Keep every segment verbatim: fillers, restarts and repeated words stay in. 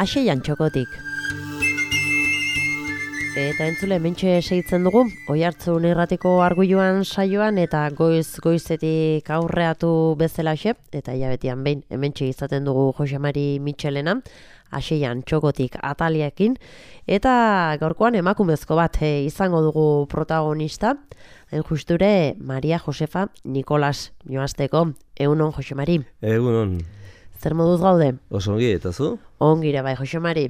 Aseian txokotik. Eta entzule, mentxe seitzen dugu, Oihartzun irratiko arguiluan saioan eta goiz goizetik aurreatu bezalaxe, eta hilabetian behin hementxe izaten dugu Jose Mari Mitxelena, Aseian txokotik ataliekin, eta gaurkoan emakumezko bat e, izango dugu protagonista, hain justure Maria Josefa Nikolas, joazteko. Egunon, Jose Mari. Egunon. Zer moduz gaude? Oso ongi, eta zu? Ongire bai, Jose Mari.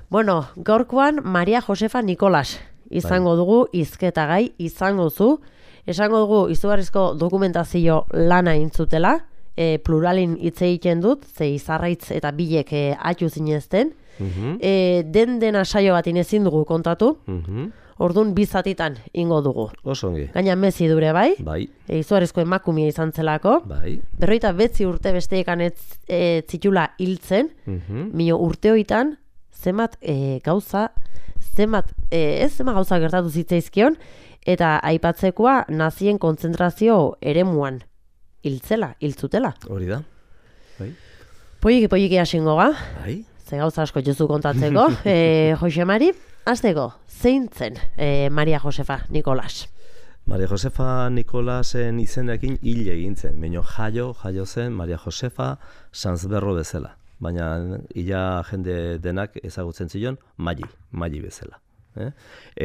Bueno, gaurkoan Maria Josefa Nikolas izango bai. Dugu, hizketagai izango zu. Esango dugu izugarrizko dokumentazio lana intzutela, e, pluralin hitz egiten dut, ze izarraitz eta bilek e, atxu zinezten. Uh-huh. e, den dena saio bat inezin dugu kontatu. Uh-huh. Orduan bizatitan ingo dugu. Oso ongi. Gaina mezi dure bai. Bai. E, izugarrizko emakumia izan zelako. Bai. Berroita betzi urte besteekan ez e, zitula hiltzen. Uh-huh. Mino urte hoitan, zemat e, gauza, zemat, e, ez zemat gauza gertatu zitzaizkion, eta aipatzekoa nazien kontzentrazio eremuan hiltzela, hiltzutela. Hori da. Bai. Poiki, poiki hasingo ga. Bai. Ze gauza asko jozu kontatzeko. e, Jose Mari, azteko, zein zen e, Maria Josefa Nikolas? Maria Josefa Nikolasen izenekin hil egin zen. Baina jaio, jaio zen Maria Josefa Sanzberro bezala. Baina ila jende denak ezagutzen zion Mali, Mali bezala. Eh?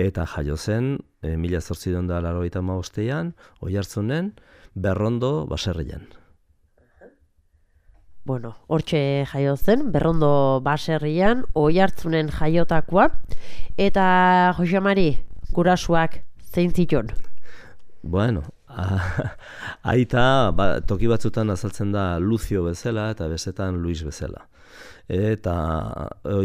Eta jaio zen, e, mila zortziehun eta laurogeita hamabostean, Oihartzunen, Berrondo baserrian. Bueno, hortxe jaio zen, Berrondo baserrian, Oihartzunen jaiotakoa, eta Jose Mari, gurasuak zein zituen? Bueno, a, aita ba, toki batzutan azaltzen da Lucio bezala eta bestetan Luis bezala. Eta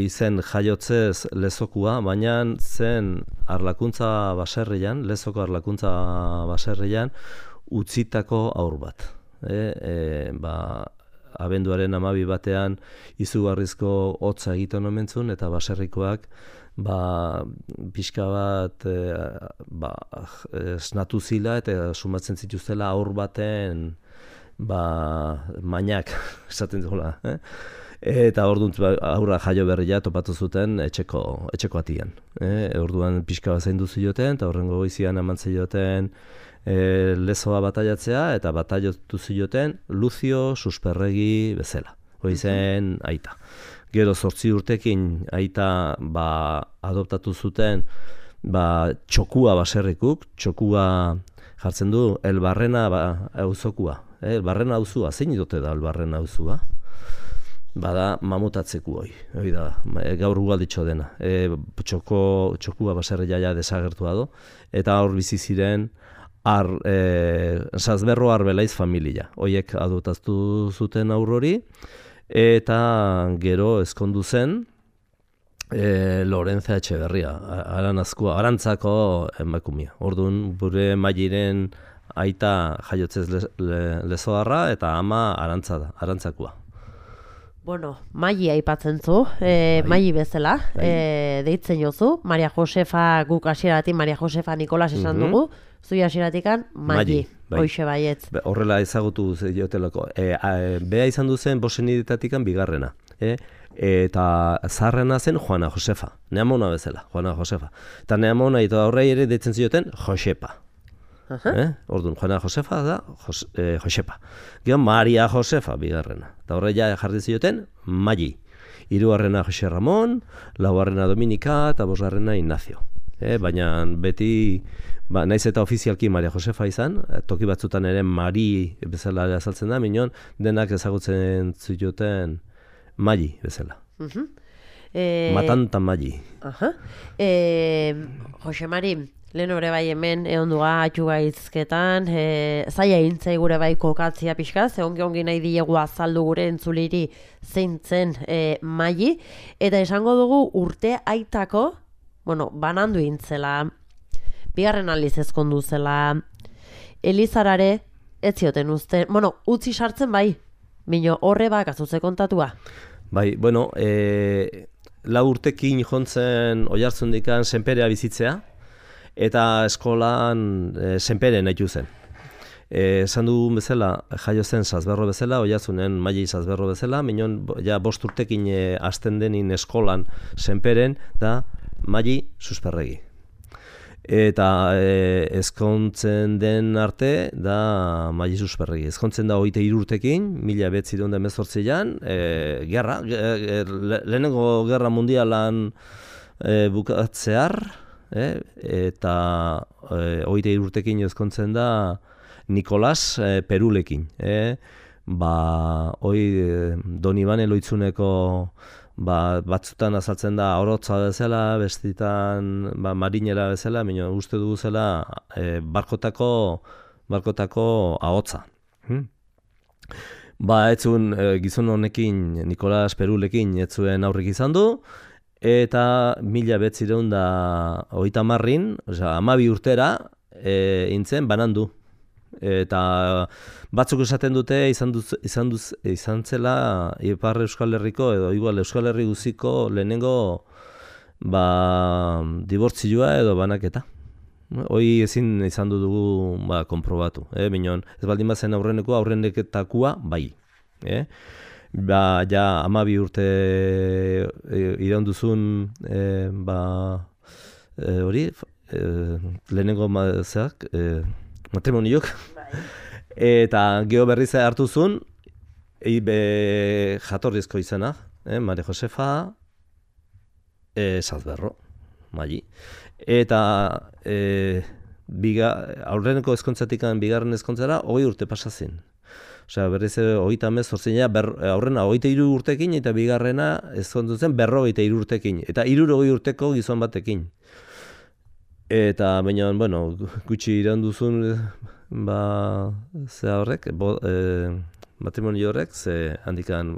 izen jaiotzez lezokua, baina zen arlakuntza baserrian, lezoko arlakuntza baserrian, utzitako aur bat. E, e, ba, abenduaren hamabi batean izugarrizko hotza egiten omentzun, eta baserrikoak ba, pixka bat e, ba, esnatu zila eta sumatzen zituztela aur baten ba, mainak, esaten zela. Eh? Eta orduan aurra jaio berria topatu zuten etxeko, etxeko atian. Eh? Orduan pixka bat zaindu zioten, eta horrengo goizian eman zioten E, lezoa bataiatzea, eta bataiatu zioten Lucio Susperregi bezala. Hoi zen aita. Gero zortzi urtekin aita ba, adoptatu zuten ba, txokua baserrikuk, txokua jartzen du Elbarrena ba, auzokua. E, Elbarrena auzua, zein dute da Elbarrena auzua? Bada mamutatzeku hoi, hoi da, gaur ugalditxo dena. E, txoko, txokua baserri jaia desagertua do, eta hor bizi ziren Ar, e, Sanzberro Arbelaiz familia. Hoiek adoptatu zuten aurrori, eta gero ezkondu zen e, Lorenza Etxeberria, aranazkoa, arantzako emakumia. Orduan, bure Mairen aita jaiotzez le, le, lezoarra, eta ama arantza da, arantzakoa. Bueno, Maili aipatzen zu, e, Maili bezala, e, deitzen jozu, Maria Josefa guk hasieratik Maria Josefa Nikolas esan uh-huh. dugu, zui hasieratikan Maili, bai. Hoixe baietz. Be, horrela ezagutu ziotelako. E, e, Bea izan du zen bosenidetatikan bigarrena. E, eta zaharrena zen Juana Josefa, neamona bezala, Juana Josefa. Eta neamona eta horrei ere deitzen zioten Josepa. Uh-huh. Eh? Orduan, Juana Josefa da Jos, eh, Josepa. Gero Maria Josefa bigarrena. Eta horreia jarri zioten Maili. Hirugarrena Jose Ramon, laugarrena Dominika eta bosgarrena Ignacio. Eh? Baina beti, ba, naiz eta ofizialki Maria Josefa izan, toki batzutan ere Mari bezala azaltzen da, minon denak ezagutzen zioten Maili bezala. Uh-huh. e... Matanta Maili. Uh-huh. e... Jose Mari, lehen hori bai hemen egon duga atxugaizketan, e, zaila intzai gure bai kokatzia pixka, ze ongi-ongi nahi diegu azaldu gure entzuliri zein zen e, Maili, eta esango dugu urte aitako, bueno, banandu intzela, bigarren aldiz ezkondu zela, Elizarare ez zioten uste, bueno, utzi sartzen bai, bino horre bak azutze kontatua. Bai, bueno, e, lau urtekin jontzen Oihartzundikan senperea bizitzea, eta eskolan e, senpere nahitu zen. esan dugun bezala, jaio zen Sazberro bezala, Oiartzunen Maili Sazberro bezala, minon ja bost urtekin e, hasten denin eskolan senperen, da Maili Susperregi. Eta e, ezkontzen den arte da Maili Susperregi. Ezkontzen da hogeita hiru urtekin, mila bederatziehun eta hemezortzian, e, gerra, e, le, lehenengo gerra mundialan e, bukatzear, e, eta e, hogeita hiru urtekin ezkontzen da Nikolas e, Perulekin. E, ba, hoi e, Donibane Loitzuneko Ba, batzutan azaltzen da orotza bezala, bestitan ba, marinera bezala, baina uste dugu zela e, barkotako, barkotako ahotza. Hmm? Ba, etzun e, gizon honekin, Nikolas Perulekin, etzuen aurrik izan du, eta mila behatziehun da hogeita hamarrin, osea, hamabi urtera, e, intzen banandu. Eta batzuk esaten dute izan, duz, izan, duz, izan zela Ipar Euskal Herriko edo igual Euskal Herri guziko lehenengo ba, dibortzioa edo banaketa. Hoi ezin izan dugu ba, konprobatu. Eh? Minon, ez baldin bazen aurreneko aurreneketakua bai. Eh? Ba, ja hamabi urte e, iraun duzun e, ba, e, hori e, lehenengo mazeak, e, matrimoniok, eta geho berriz hartu zuen, be, jatorrizko izena, eh, Maria Josefa e, Sazberro, Maili. Eta e, biga, aurreneko ezkontzatik bigarren ezkontzara, hogei urte pasazin. Osea, berriz hogeita hemezortzia, aurrena hogeita hiru urtekin, eta bigarrena ezkontzutzen berrogeita hiru urtekin, eta hirurogei urteko gizon batekin. Eta, baina, bueno, gutxi iraun duzun, ba, ze horrek, bo, e, matrimonio horrek, ze handikan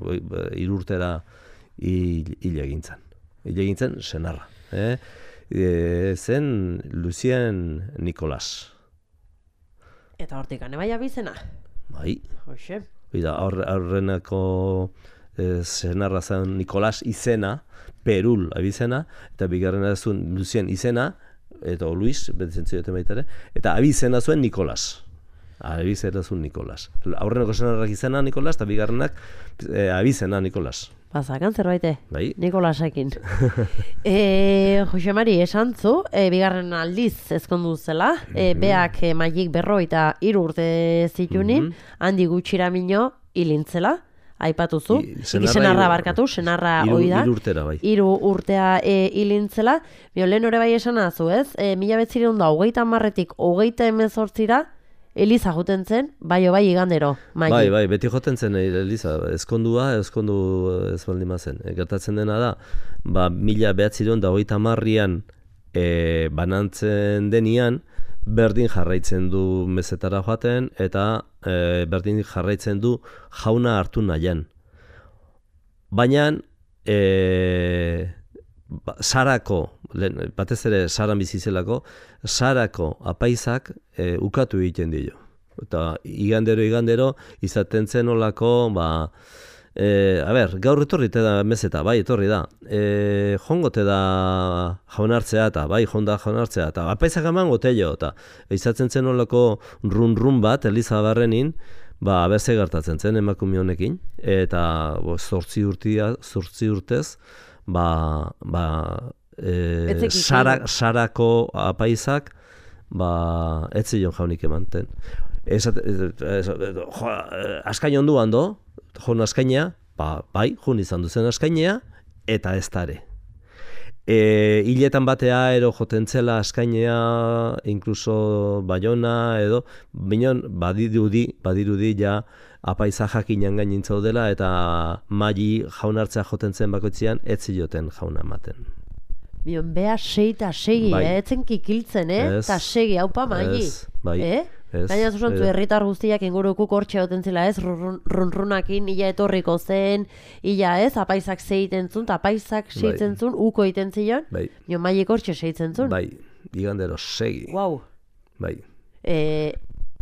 hiru urtera hil, hil egintzen. Hil egintzen, senarra. Eh? E, zen Lucien Nikolas. Eta hortik ane bai abizena? Bai. Hoxe. Eta aurrenako e, senarra zen Nikolas izena, Perul abizena, eta bigarrena zuen Lucien izena, eta Luis, betzen zioten baita ere, eta abizena zuen Nikolas. Abizena zuen Nikolas. Aurreneko senarrak izena Nikolas, eta bigarrenak e, abizena Nikolas. Bazakan zerbaite, bai? Nikolasekin. e, Jose Mari, esan zu, e, bigarren aldiz ezkondu zela, e, beak e, Mailik berrogeita hiru urte zitunin, mm-hmm. handi gutxira mino hilintzela. Aipatuzu, senarra barkatu, senarra hoi da, hiru urtera bai. Hiru urtea e, hilintzela, bio lehen hori bai esan azu, ez? E, mila betzireun da, hogeita hamarretik, hogeita hemezortzira, Eliza joten zen, bai o bai igandero, Maili. Bai, bai, beti joten zen Eliza, ezkondua, ezkondu ez baldin bazen. E, gertatzen dena da, ba, mila behatzireun da, hogeita hamarrian e, banantzen denian, berdin jarraitzen du mezetara joaten, eta e, berdin jarraitzen du jauna hartu nahian. Baina, e, ba, Sarako, lehen, batez ere Saran bizizelako, Sarako apaizak e, ukatu egiten dio. Eta igandero, igandero, izaten zen olako, ba, E, a ber, gaur etorri da mezeta, bai, etorri da. E, jongote da jaunartzea eta, bai, jonda jaunartzea eta, apaizak eman gotello, eta izatzen zen olako run-run bat, Eliza barrenin, ba, berze gertatzen zen emakume honekin, eta bo, zortzi urtia, zortzi urtez, ba, ba, e, sara, sarako apaizak, ba, etzion jaunik emanten. Esat, askain ondu hando, joan askainea, ba, bai, joan izan duzen askainea, eta ez dare. E, hiletan batea ero joten zela askainea, inkluso Baiona edo, binon badirudi, badirudi ja apaiza jakinan gainin zaudela, eta Maili jaunartzea joten zen bakoitzean, ez zioten jauna ematen. Bion, beha sei eta segi, bai. eh? Etzen kikiltzen, eh? Eta segi, haupa Maili. Ez, bai. Eh? Gaina zuzantzu herritar guztiak ingurukuk hortxe goten zela ez, runrunakin, ila etorriko zen, ila ez, apaizak zeiten zun, apaisak zeitzen zun, uko iten zion, bai. Jo Mailik hortxe zeitzen zun. Bai, igandero segi. Wow. Bai. E,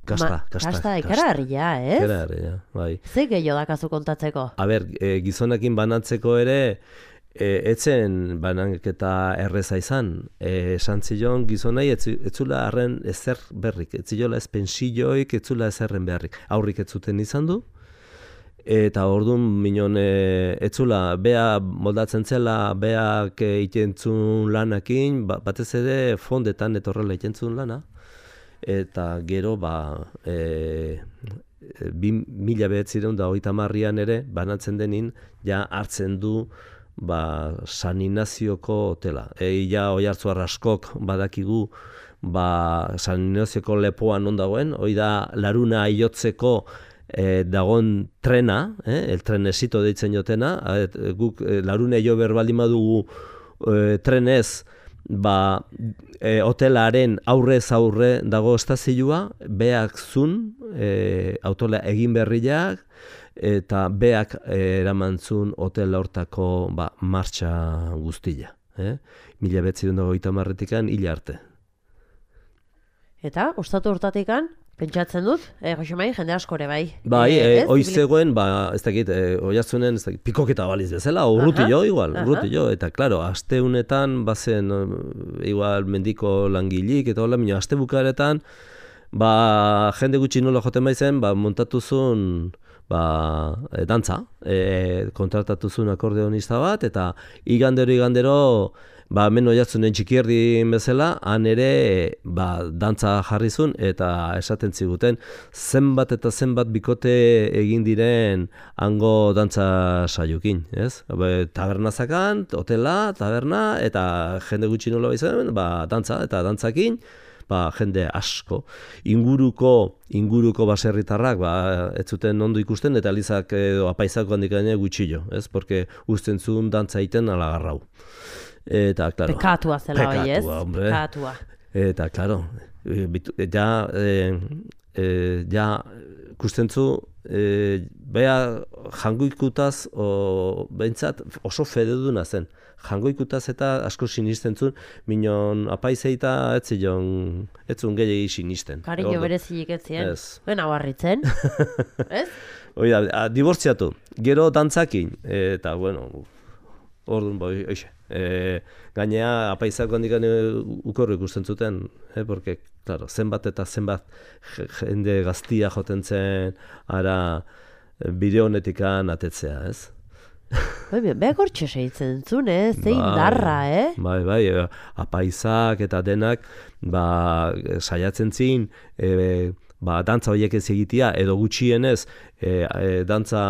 kasta, ma, kasta. Kasta, ikara harria, ez? Ikara harria, bai. Ze gehiago dakazu kontatzeko? A ber, e, gizonekin banatzeko ere, E, etzen banaketa erreza izan, e, esan zion gizonai etzula harren ezer berrik, etziola ez pensioik, etzula ezerren beharrik. Aurrik ez zuten izan du, eta orduan minon e, etzula, bea moldatzen zela, beak e, itentzun lanakin, ba, batez ere fondetan etorrela itentzun lana, eta gero ba, e, bi mila behatzireun da hogeita hamarrean ere, banatzen denin, ja hartzen du ba, San Ignazioko hotela. E, ja Oiartzun askok badakigu ba, San Ignazioko lepoan non dagoen, hoi da laruna aiotzeko E, dagon trena, eh, el trenesito deitzen jotena, et, guk e, larune jo berbaldin badugu e, trenez, ba, e, hotelaren aurrez aurre dago estazioa, beak zun, e, autola egin berriak, eta beak e, eraman zun hotel hortako ba, martxa guztia. Eh? Mila behatziehun eta hogeita hamarretikan hil arte. Eta, ostatu hortatikan, pentsatzen dut, eh, Josemai, jende askore bai. Bai, e, e, oiz zegoen, ba, ez dakit, e, Oiartzunen, ez dakit, pikoketa baliz bezala, urrutillo igual, urrutillo, eta klaro, aste honetan, bazen, igual, mendiko langilik, eta hola, minio, aste bukaretan, ba, jende gutxi nola joten baizen, ba, montatu zuen, ba, e, dantza, e, kontratatu zuen akordeonista bat, eta igandero, igandero, ba, hemen Oiartzunen txikierdi bezala, han ere ba, dantza jarrizun eta esaten ziguten zenbat eta zenbat bikote egin diren hango dantza saiokin, ez? Ba, tabernazakan, hotela, taberna, eta jende gutxi nola baizen, ba, dantza eta dantzakin, ba, jende asko. Inguruko, inguruko baserritarrak, ba, ez zuten ondo ikusten, eta alizak edo apaizako handik gaine gutxillo, ez? Porque usten zuen dantza iten alagarrau. Eta, claro, pekatua zela bai, ez? Hombre. Pekatua. Eta, claro, ja, e, e, ja, kustentzu, e, bea jangoikutaz, o, behintzat oso fededuna zen. Jangoikutaz eta asko sinisten zuen, minon apaizeita ez zion, ez zuen gehiagi sinisten. Kariño berezilik ez zien. Ez. Ben abarritzen, ez? Oida, dibortziatu, gero dantzakin, eta, bueno, orduan, boi, oixe. E, gainea apaizako handik ukorro ikusten zuten, eh, porque, claro, zenbat eta zenbat jende gaztia joten zen, ara bideo honetikan atetzea, ez? Bai, behak hortxe segitzen zuen, eh? Zein darra, eh? Bai, bai, apaizak eta denak, ba, saiatzen zin, e, ba, dantza horiek ez egitea, edo gutxienez, e, e, dantza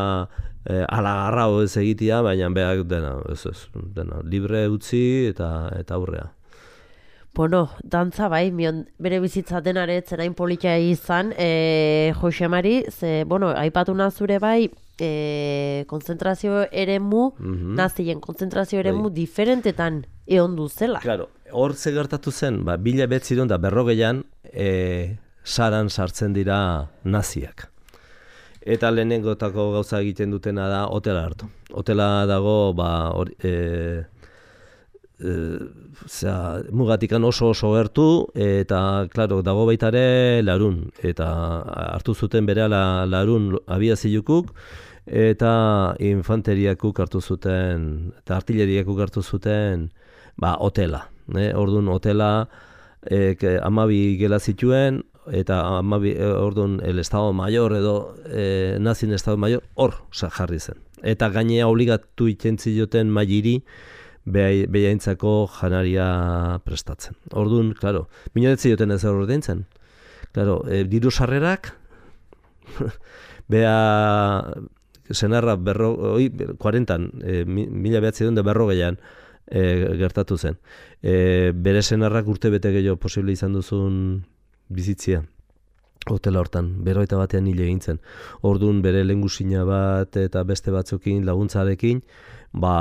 E, alagarra ez egitea, baina behar dena, ez ez, dena, libre utzi eta eta aurrea. Bueno, dantza bai, mion bere bizitza denare zerain politia izan, e, Josemari, ze, bueno, aipatu nazure bai, e, konzentrazio eremu, mm-hmm. nazien konzentrazio eremu bai. Diferentetan egon duzela. Claro, hor ze gertatu zen, ba, bila betziron da berrogeian, e, saran sartzen dira naziak. Eta lehenengotako gauza egiten dutena da hotela hartu. Hotela dago, ba, or, e, e, zera, mugatikan oso oso gertu, eta, klaro, dago baita ere larun. Eta hartu zuten berehala larun abiazilukuk, eta infanteriakuk hartu zuten, eta artilleriakuk hartu zuten, ba, hotela. E, orduan, hotela, e, amabi gela zituen, eta amabi, orduan el Estado Mayor edo e, nazien Estado Mayor hor jarri zen. Eta gainea obligatu itentzioten mailiri behaintzako janaria prestatzen. Orduan, klaro, minonetzioten ez hor ordaintzen. Klaro, e, diru sarrerak, beha senarra berro, oi, kuarentan, e, mila behatzen da berrogeian e, gertatu zen. E, bere senarrak urte bete gehiago posible izan duzun bizitzia hotela hortan, berroita batean hile egin zen. Orduan bere lehengusina bat eta beste batzukin laguntzarekin, ba,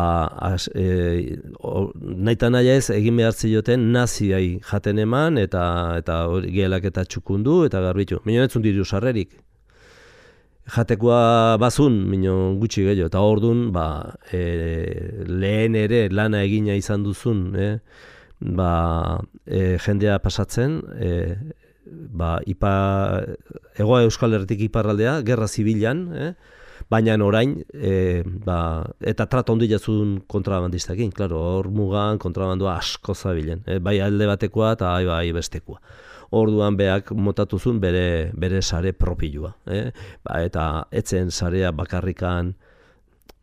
as, e, o, naita naia ez egin behar zioten naziai jaten eman eta eta gehelak eta txukundu eta garbitu. Minon etzun diru sarrerik. Jatekoa bazun, minon gutxi gehiago. Eta orduan, ba, e, lehen ere lana egina izan duzun, eh? ba, e, jendea pasatzen, e, ba, ipa, Hego Euskal Herritik iparraldea, gerra zibilan, eh? Baina orain, e, ba, eta trato ondi jazun kontrabandistakin, klaro, hor mugan kontrabandua asko zabilen, e, bai alde batekoa eta bai, bai bestekoa. Orduan beak motatuzun bere, bere sare propilua, eh? Ba, eta etzen sarea bakarrikan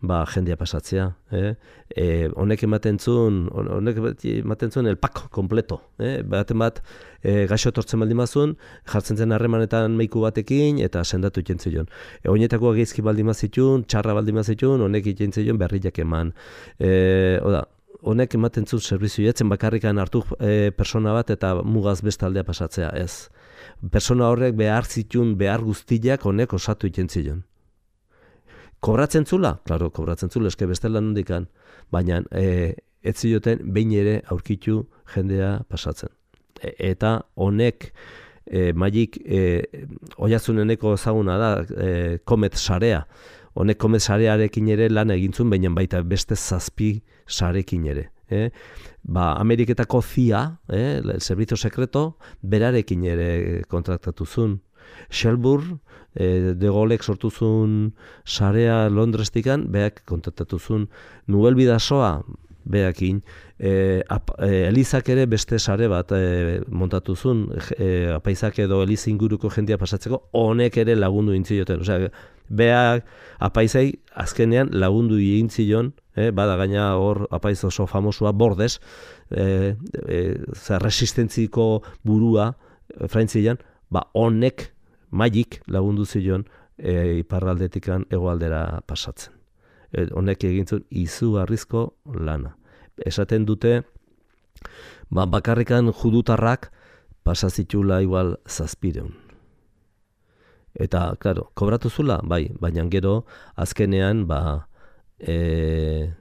ba, jendia pasatzea. Eh? E, honek ematen zuen, honek ematen zuen el pack kompleto. Eh? Baten bat, e, gaixo etortzen baldin bazun, jartzen zen harremanetan meiku batekin, eta sendatu itxentzion. E, Oinetako geizki baldin bazitun, txarra baldin bazitun, honek itxentzion berriak eman. E, oda, honek ematen zuen zerbizio, etzen bakarrikan hartu e, persona bat eta mugaz bestaldea pasatzea, ez. Persona horrek behar zitun, behar guztiak honek osatu itxentzion. Kobratzen zula? Klaro, kobratzen zula, eske bestela nondikan. Baina e, ez zioten behin ere aurkitu jendea pasatzen. E, eta honek e, maik e, oiazuneneko ezaguna da, e, komet sarea. Honek komet sarearekin ere lan egintzun, baina baita beste zazpi sarekin ere. Eh? Ba, Ameriketako C I A, eh, el Servicio Secreto, berarekin ere kontraktatu zuen. Shelburne, eh, de Gaulek sortu zuen sarea Londrestikan, beak kontraktatu zuen. Nubel Bidasoa, beakin, eh, ap, eh, Elizak ere beste sare bat eh, montatu zuen, eh, apaizak edo Eliz inguruko jendia pasatzeko, honek ere lagundu intzioten. Osea, beak apaizai azkenean lagundu egintzion, eh, bada gaina hor apaiz oso famosua Bordes, eh, eh, resistentziko burua eh, Frantzian, ba honek maik lagundu zion eh, iparraldetikan hegoaldera pasatzen. Eh, honek egintzun izugarrizko lana. Esaten dute ba, bakarrikan judutarrak pasazitula igual zazpireun. Eta, klaro, kobratu zula, bai, baina gero azkenean ba, e,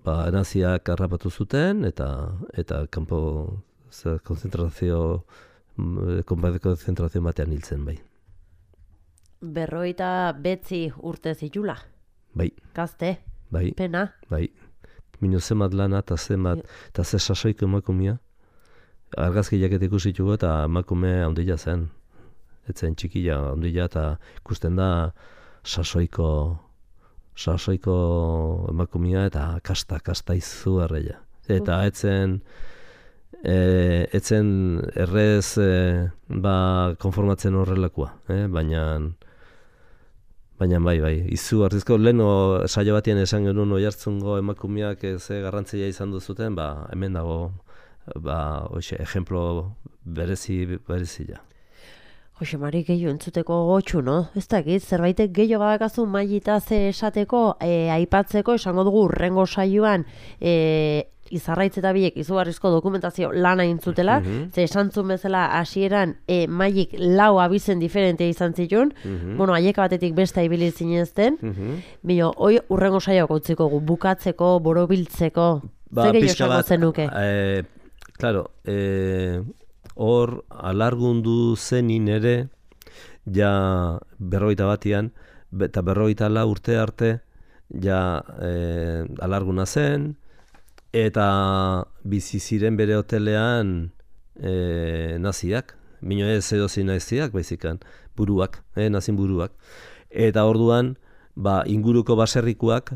ba naziak harrapatu zuten eta eta kanpo konzentrazio konzentrazio batean hiltzen, bai. Berroita betzi urte zitula. Bai. Gazte. Bai. Pena. Bai. Mino zemat lana eta zemat, eta ze sasoiko emakumea. Argazki jaket ikusitugu eta emakume handia zen. Etzen txikia handia eta ikusten da sasoiko sasoiko emakumea eta kasta, kasta izugarria. Eta etzen e, etzen errez e, ba, konformatzen horrelakoa, eh? baina baina bai, bai, izugarrizko leheno saio batien esan genuen oihartzungo emakumeak ze garrantzia izan duzuten, ba, hemen dago ba, oixe, ejemplo berezi berezia. Jose Mari, gehiago entzuteko gotxu, no? Ez dakit, zerbaitek gehiago badakazu mailita ze esateko, e, aipatzeko, esango dugu urrengo saioan, e, izarraitz eta biek izugarrizko dokumentazio lana intzutela, mm-hmm. ze esan zuen bezala hasieran e, maik lau abizen diferentea izan zituen, mm-hmm. bueno, aieka batetik besta ibili zinezten, mm-hmm. bino, hoi urrengo saioak utziko gu, bukatzeko, borobiltzeko, ba, ze gehiago esango zenuke? Eh, claro, eh, hor alargundu zenin ere, ja berroita batian, eta berroita la urte arte, ja eh, alarguna zen, eta bizi ziren bere hotelean e, naziak, bino ez edozi naziak, baizikan, buruak, e, nazin buruak. Eta orduan, ba, inguruko baserrikuak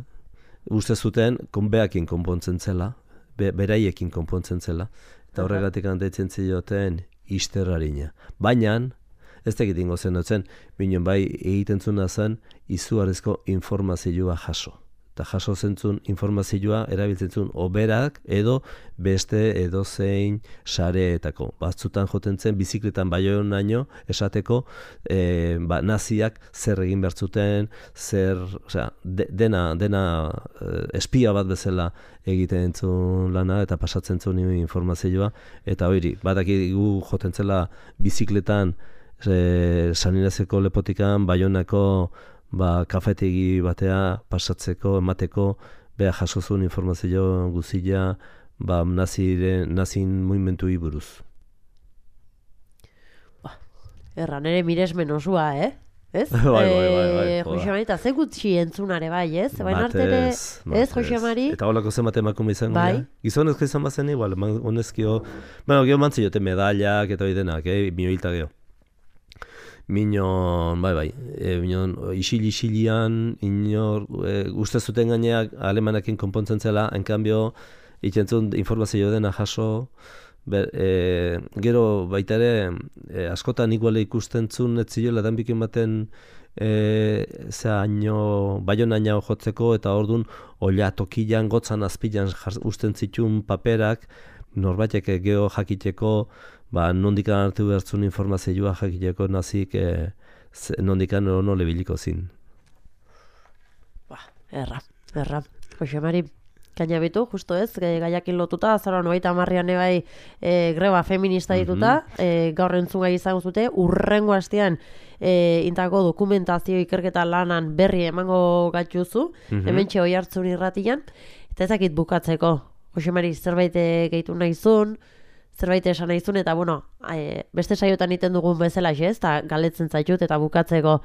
uste zuten konbeakin konpontzen zela, be, beraiekin konpontzen zela, eta horregatik handetzen zioten isterrarina. Baina, ez tegitingo zen dutzen, bino bai egiten zuna zen izugarrizko informazioa jaso. Eta jaso zentzun informazioa erabiltzen zuen oberak edo beste edozein sareetako. Batzutan joten zen bizikletan baionaino esateko e, ba, naziak zer egin bertzuten, zer, osea, de, dena, dena espia bat bezala egiten zuen lana eta pasatzen zuen informazioa. Eta hori, badakigu joten zela bizikletan e, Saninazeko lepotikan baionako ba, kafetegi batea pasatzeko, emateko, beha jaso zuen informazio guzila ba, naziren, nazin mugimendu buruz. Ba, erran ere miresmen osua, eh? Ez? bai, bai, bai, bai. Jose Mari, eta ze gutxi entzunare bai, ez? Baina artere, ez, Jose Mari? Eta holako zen bat emakume izango, bai. Ja? Gizonezko izan bazen igual, honezkio, bueno, geho mantziote medallak eta hori denak, eh? Mioilta geho. minon, bai, bai, e, minon, isil-isilian, inor, e, uste zuten gaineak alemanekin konpontzen zela, enkanbio, ikentzun informazio dena jaso, ber, e, gero baita ere, e, askotan iguale ikusten zuen, ez ziola danbikin baten, e, zera aino, baion aino jotzeko, eta orduan, oila tokian, gotzan, azpilan, usten zituen paperak, norbaitek geho jakiteko, ba, nondikan hartu behartzun informazioa jakiteko nazik e, nondikan ono lebiliko zin. Ba, erra, erra. Jose Mari, kainabitu, justo ez, gaiakin lotuta, azaroan hogeita hamarrean ebai e, greba feminista dituta, mm-hmm. e, gaur entzungai izango zute, urrengo astean e, intako dokumentazio ikerketa lanan berri emango gatzuzu, mm-hmm. hementxe hoi hartzun irratian, eta ezakit bukatzeko, Jose Mari, zerbait gehitu nahizun, zerbait esan nahizun, eta bueno, e, beste saiotan iten dugun bezala ez, eta galetzen zaitut, eta bukatzeko,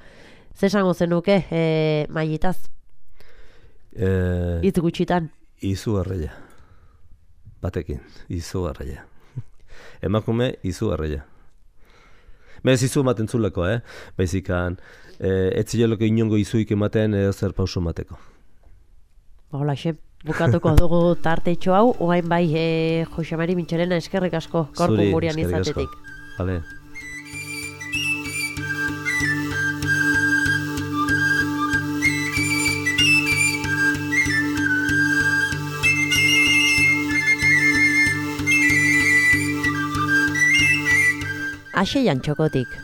ze esango zenuke, e, Mailitaz? E, Itz gutxitan. Izugarria. Batekin, izugarria. Emakume, izugarria. Bez izu ematen zuleko, eh? Baizikan, e, ez ziloleko inongo izuik ematen edo zer pauso emateko. Hola, xe. Bukatuko dugu tartetxo hau, oain bai e, Jose Mari Mintxorena eskerrik asko, korku gurian izatetik. Vale. Axe jantxokotik.